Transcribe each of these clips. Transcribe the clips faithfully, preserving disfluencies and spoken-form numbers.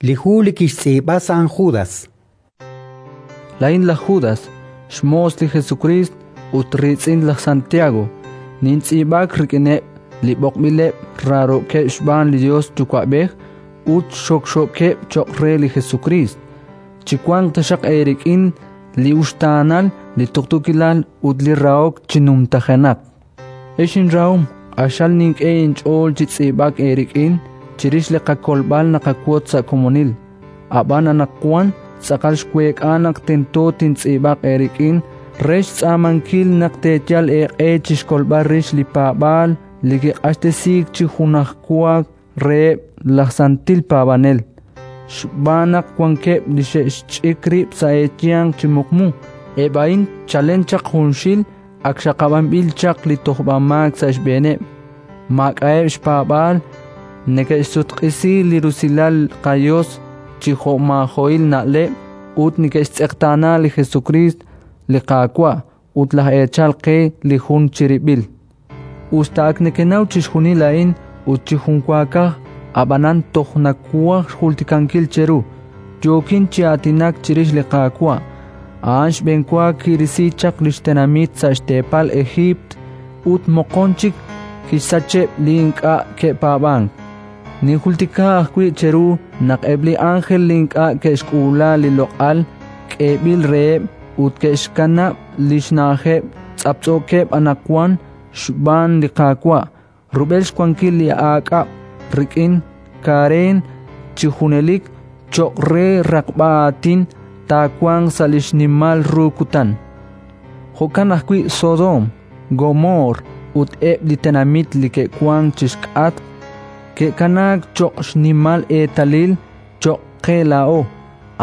Li hu li kixtz'iib'a San Judas. Laa'in laj Judas, xmoos li Jesukriist ut riitz'in laj Santiago, nintz'iib'ak rik'ineb' li b'oqb'ileb' raarookeb' xb'aan li Yos Yuwa'b'ej ut xokxookeb' cho'q re li Jesukriist. Chiwanq taxaq eerik'in li uxtaanal, li tuqtuukilal ut li rahok chi numtajenaq. Ex inrahom, q'axal nink'e inch'ool chi tz'iib'ak eerik'in chirix li qakolb'al naqawotz sa' komonil. Ab'an anaqwan tz'aqal xweek'a naq tento tintz'iib'aq eerik'in re xtz'aamankil naq teeyal eeq'e chi xkolb'al rix li paab'aal li kiq'axtesiik chi junajwa reheb' laj santil paab'anel. Xb'aan naq wankeb' li xe'xch'ik rib' sa' eeyanq chi muqmu, eb' a'in chalen chaq junxil ak xaqab'anb'il chaq li tojb'amaak sa' xb'eeneb', maak'a'eb' xpaab'aal, neke'xsutq'isi li rusilal qaYos chi jo'maajo'il na'leb' ut neke'xtz'eqtaana li Jesukriist, li Qaawa' ut laj Eechal qe li jun chirib'il. Us ta ak nekenaw chixjunil a'in ut chi junwaakaj, ab'anan toj nawaj xjultikankil cheru: yookin chi aatinak chirix li Qaawa'. A'an xb'enwa kirisi chaq li xtenamit sa' xteepal Ejiipt ut moqon chik kixsacheb' li ink'a' ke'paab'ank. Ninjultika ajwi' cheru naq eb' li ánjel li ink'a' ke'xk'uula li loq'al k'eeb'il reheb' ut ke'xkanab' li xna'ajeb' tz'aptz'ookeb' anaqwan xb'aan li Qaawa' rub'el xwankil li aak'ab' rik'in kareen chi junelik cho'q re raqb'a aatin taawanq sa' li xnimal ru kutan. Jo'kan ajwi' Sodoom, Gomoor ut eb' li tenamit li ke'wank chi xk'atq ke'kanaak cho'q xnimal eetalil cho'q qe laa'o.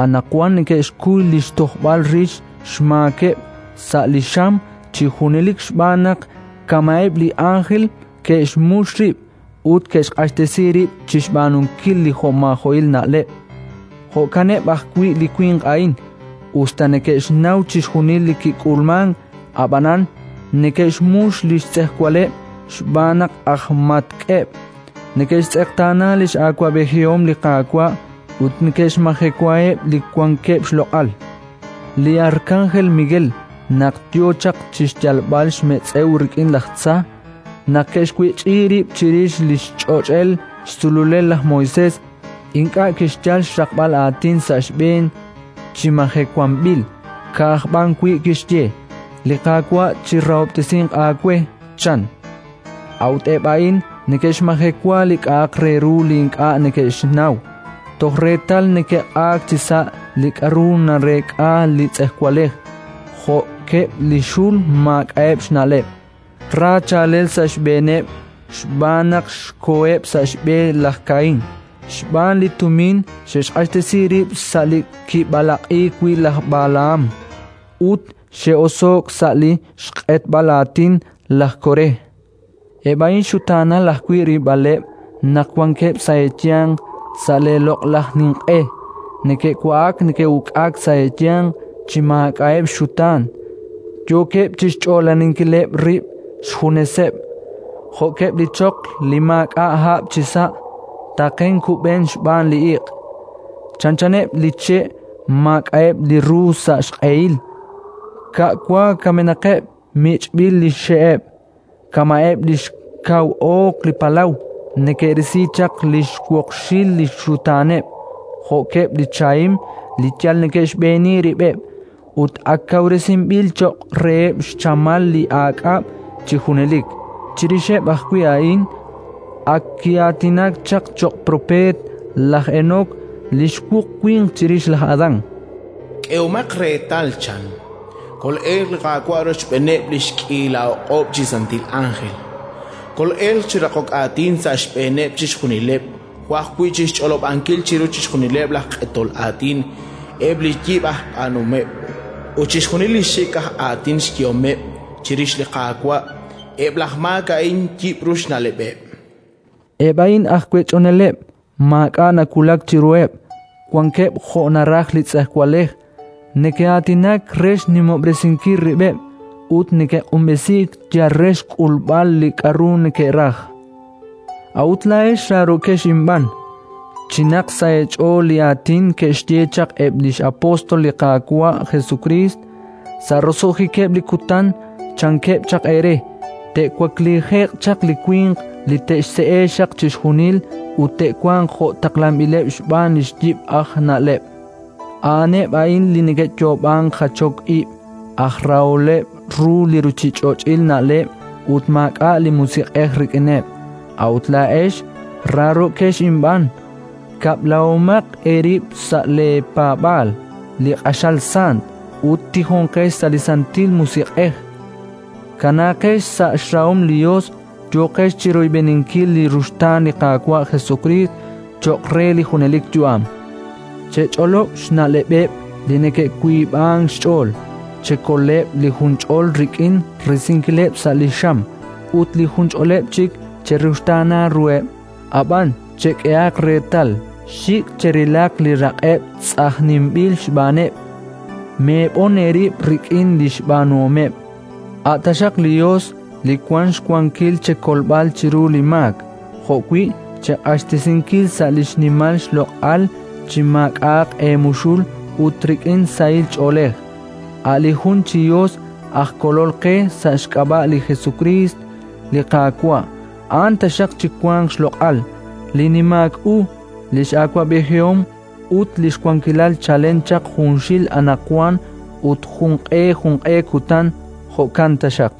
Anaqwan neke'xkuy li xtojb'al rix xmaakeb' sa' li xam chi junelik xb'aan naq kama'eb' li ánjel ke'xmux rib' ut ke'xq'axtesi rib' chi xb'aanunkil li jo'maajo'il na'leb'. Jo'kaneb' ajwi' li winq a'in, us ta neke'xnaw chixjunil li kik'ulmank, ab'anan neke'xmux li xtz'ejwaleb' xb'aan naq aj matk'eb', neke'xtz'eqtaana li x'awab'ejihom li Qaawa' ut neke'xmajewaheb' li wankeb' xloq'al. Li arkanjel Miguel, naq yo chaq chi xyalb'al xmetz'ew rik'in laj tza, naq ke'xwech'i rib' chirix li xch'och'el xsululel laj Moisés, ink'a' kixyal xraqb'al aatin sa' xb'een chi majewanb'il, ka'aj b'an wi' kixye: “Li Qaawa' chirahob'tesinq aawe”, chan. A'ut eb' a'in neke'xmajewa li k'a'aq re ru li ink'a' neke'xnaw, toj reetal neke'q'aak chisa' li k'aru nareek'a li tz'ejwalej, jo'keb' li xul maak'a'eb' xna'leb'. Ra chaalel sa' xb'eeneb' xb'aan naq xkoheb' sa' xb'e laj Kaín. Xb'aan li tumin xe'xq'axtesi rib' sa' li kib'alaq'iik wi' laj Balaham ut xe'oso'k sa' li xq'etb'al aatin laj Koré. Eb' a'in xutaanal ajwi' rilb'aleb' naq wankeb' sa' eeyanq sa' leeloq'laj ninq'e, neke'wa'ak neke'uk'ak sa' eeyanq chi maak'a'eb' xxutaan, yookeb' chi xch'oolaninkileb' rib' xjuneseb', jo'keb' li choql li maak'a' hab' chisa', taqen kub'en xb'aan li iq'. Chanchaneb' li che' maak'a'eb' li ru sa' xq'ehil, ka'wa kamenaqeb' mich'b'il li xxe'eb', kama'eb' li xkaw ooq li palaw neke'risi chaq li xwoqxil li xxutaaneb', jo'keb' li chahim li yal neke'xb'eeni rib'eb' ut ak kawresinb'il cho'q reheb' xchamal li aak'ab' chi junelik. Chirixeb' ajwi' a'in ak ki'aatinak chaq cho'q propeet laj Enok, li xwuq winq chirix laj Adán. K'ehomaq reetal, chan, kol'elq li Qaawa' rochb'eeneb' li xk'iila o'q'ob' chi santil ánjel, kol'elq chi raqok aatin sa' xb'eeneb' chixjunileb' jo' ajwi' chi xch'olob'ankil chiru chixjunileb' laj q'etol aatin eb' li yib' aj b'aanuhomeb' ut chixjunil li xik' aj aatin xyehomeb' chirix li Qaawa', eb' laj maak a'in yib'ru xna'leb'eb'. Eb' a'in aj wech'oneleb', maak'a' nawulak chiruheb', wankeb' jo' naraj li tz'ejwalej, neke'aatinak re xnimob'resinkil rib'eb' ut neke'q'unb'esiik yal re xk'ulb'al li k'aru neke'raj. A'ut laa'ex raarokex inb'aan, Chinaq sa' eech'ool li aatin ke'xye chaq eb' li x'apóstol li Qaawa' Jesukriist: “Sa' roso'jikeb' li kutan, chankeb' chaq eere, te'waklije'q chaq li winq li te'xse'e xaq chixjunil ut te'wanq jo' taqlanb'ileb' xb'aan li xyib' aj na'leb'. A'aneb' a'in li neke'yoob'ank jachok ib', aj raholeb' ru li ruuchich'och'il na'leb' ut maak'a' li Musiq'ej rik'ineb'. A'ut laa'ex raarokex inb'aan, kab'lahomaq eerib' sa' leepaab'aal li q'axal sant ut tijonqex sa' li Santil Musiq'ej. Kanaaqex sa' xrahom li Yos, yooqex chi royb'eninkil li ruxtaan li Qaawa' Jesukriist cho'q re li junelik yu'am. Chech'olob' xna'leb'eb' li neke'wiib'ank xch'ool, chekoleb' li junch'ol rik'in risinkileb' sa' li xam, ut li junch'oleb' chik cheruxtaana ruheb'. Ab'an chek'ehaq reetal, xik' cherilaq li raq'eb' tz'ajninb'il xb'aaneb'. Meeb'on eerib' rik'in li xb'aanuhomeb'. A' taxaq li Yos li wank xwankil chekolb'al chiru li maak, jo'wi' cheq'axtesinkil sa' li xnimal xloq'al chi maak'a'aq eemuxul ut rik'in sahil ch'oolej. A' li jun chi Yos aj Kolol qe sa' xk'ab'a' li Jesukriist li Qaawa', a'an taxaq chiwanq xloq'al, li nimaak u, li x'awab'ejihom ut li xwankilal chalen chaq junxil anaqwan ut junq'e junq'e kutan. Jo'kan taxaq.